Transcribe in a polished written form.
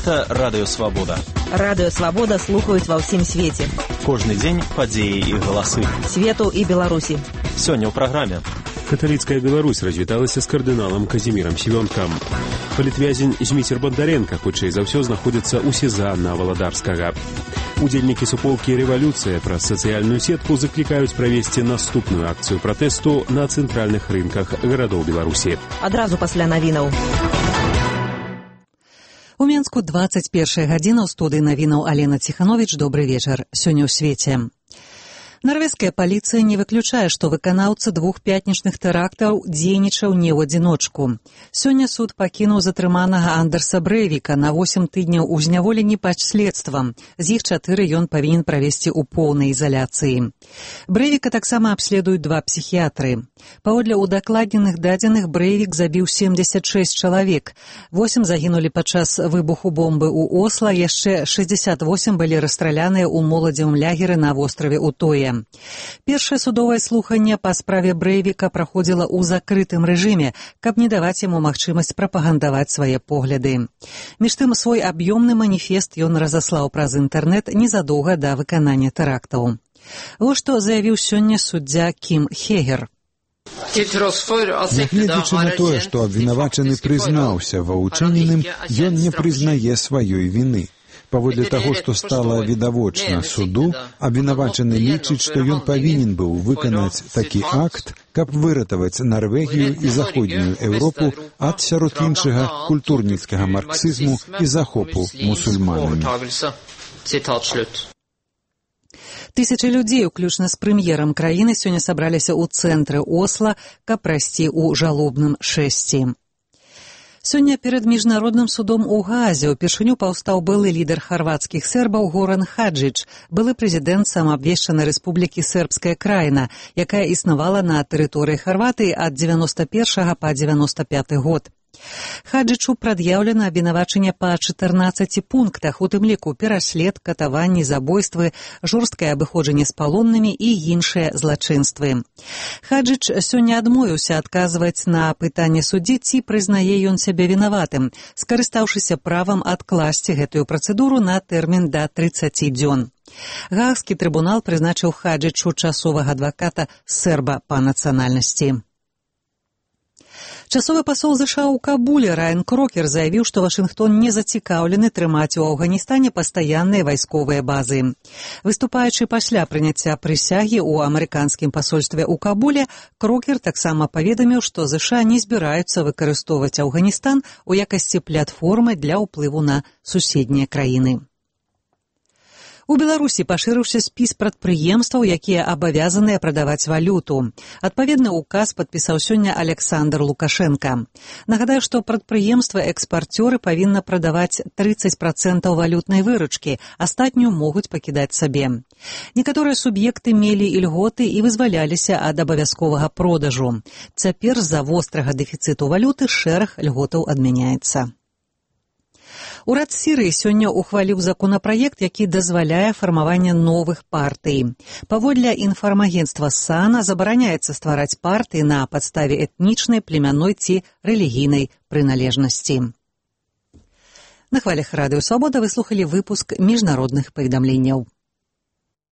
Гэта Радыё Свабода. Радыё Свабода слухаюць ва ўсім свеце. Кожны дзень падзеі і галасы. Свету і Беларусі. Сёння ў праграме. Каталіцкая Беларусь развіталася з кардыналам Казімірам Сівёнкам. Палітвязень Зміцер Бондаренка хутчэй за ўсё знаходзіцца ў СІЗА на Валадарскага. Удзельнікі суполкі «Рэвалюцыя» праз сацыяльную сетку заклікаюць правесці наступную акцыю пратэсту на цэнтральных рынках гарадоў Беларусі. Адразу пасля навінаў. У Менску 21 гадзіна, ў студыі навінаў Алена Ціхановіч. Добры вечар. Сёння ў свеце. Нарвежская паліцыя не выключае, што выканаўца двух пятнічных тэрактаў дзейнічаў не ў адзіночку. Сёння суд пакінуў затрыманага Андерса Брэйвіка на 8 тыдняў у зняволенні пад следствам. З іх 4 ён павінен правесці ў поўнай изаляцыі. Брэйвіка таксама абследуюць 2 псіхіятры. Паводле удакладненых дадзеных, Брэйвік забіў 76 чалавек. 8 загінулі падчас выбуху бомбы ў Осла, яшчэ 68 былі расстраляныя ў моладзевым лягеры на востраве Утоя. Першае судовае слуханне па справе Брэйвіка праходзіла ў закрытым рэжыме, каб не даваць яму магчымасць прапагандаваць свае погляды. Між тым, свой аб'ёмны маніфест ён разаслаў праз інтэрнэт незадоўга да выканання тэрактаў. Вось што заявіў сёння суддзя Кім Хегер. Нягледзячы на тое, што абвінавачаны прызнаўся ва ўчыненым, ён не прызнае сваёй віны. Паводле таго, што стала відавочна суду, абвінавачаны лічыць, што ён павінен быў выканаць такі акт, каб выратаваць Нарвегію і заходнюю Еўропу ад, сярод іншага, культурніцкага марксізму і захопу мусульманамі. Тысячы людзей, уключна з прэм'ерам краіны, сёння сабраліся ў цэнтры Осла, каб прайсці ў жалобным шэсці. Сёння перад міжнародным судом у Гаазе ўпершыню паўстаў былы лідар харвацкіх сербаў Горан Хаджыч, былы прэзідэнт самаабвешчанай рэспублікі Сербская краіна, якая існавала на тэрыторыі Харватыі ад 91 па 95 год. Хаджычу прад'яўлена абвінавачанне па 14 пунктах, у тым ліку пераслед, катаванні, забойствы, жорсткае абыходжанне з палоннымі і іншыя злачынствы. Хаджыч сёння адмовіўся адказваць на пытанне суддзі, ці прызнае ён сябе вінаватым, скарыстаўшыся правам адкласці гэтую працэдуру на тэрмін да 30 дзён. Гаагскі трыбунал прызначыў Хаджычу часовага адваката серба па нацыянальнасці. Часовы пасол ЗША ў Кабуле Райан Крокер заявіў, што Вашынгтон не зацікаўлены трымаць у Афганістане пастаянныя вайсковыя базы. Выступаючы пасля прыняцця прысягі ў амерыканскім пасольстве ў Кабуле, Крокер таксама паведаміў, што ЗША не збіраюцца выкарыстоўваць Афганістан у якасці платформы для ўплыву на суседнія краіны. У Беларусі пашырыўся спіс прадпрыемстваў, якія абавязаныя прадаваць валюту. Адпаведны ўказ падпісаў сёння Александр Лукашенка. Нагадаю, што прадпрыемствы-экспарцёры павінны прадаваць 30% валютнай выручкі, астатнюю могуць пакідаць сабе. Некаторыя суб'екты мелі ільготы і вызваляліся ад абавязковага продажу. Цяпер з-за вострага дэфіцыту валюты шэраг льготаў адмяняецца. Урад Сірыі сёння ухваліў законапраект, які дазваляе фармаванне новых партый. Паводле інфармагенцтва САНА забараняецца ствараць партыі на падставе этнічнай, племянной ці рэлігійнай прыналежнасці. На хвалях Радыё Свабода вы слухалі выпуск міжнародных паведамленняў.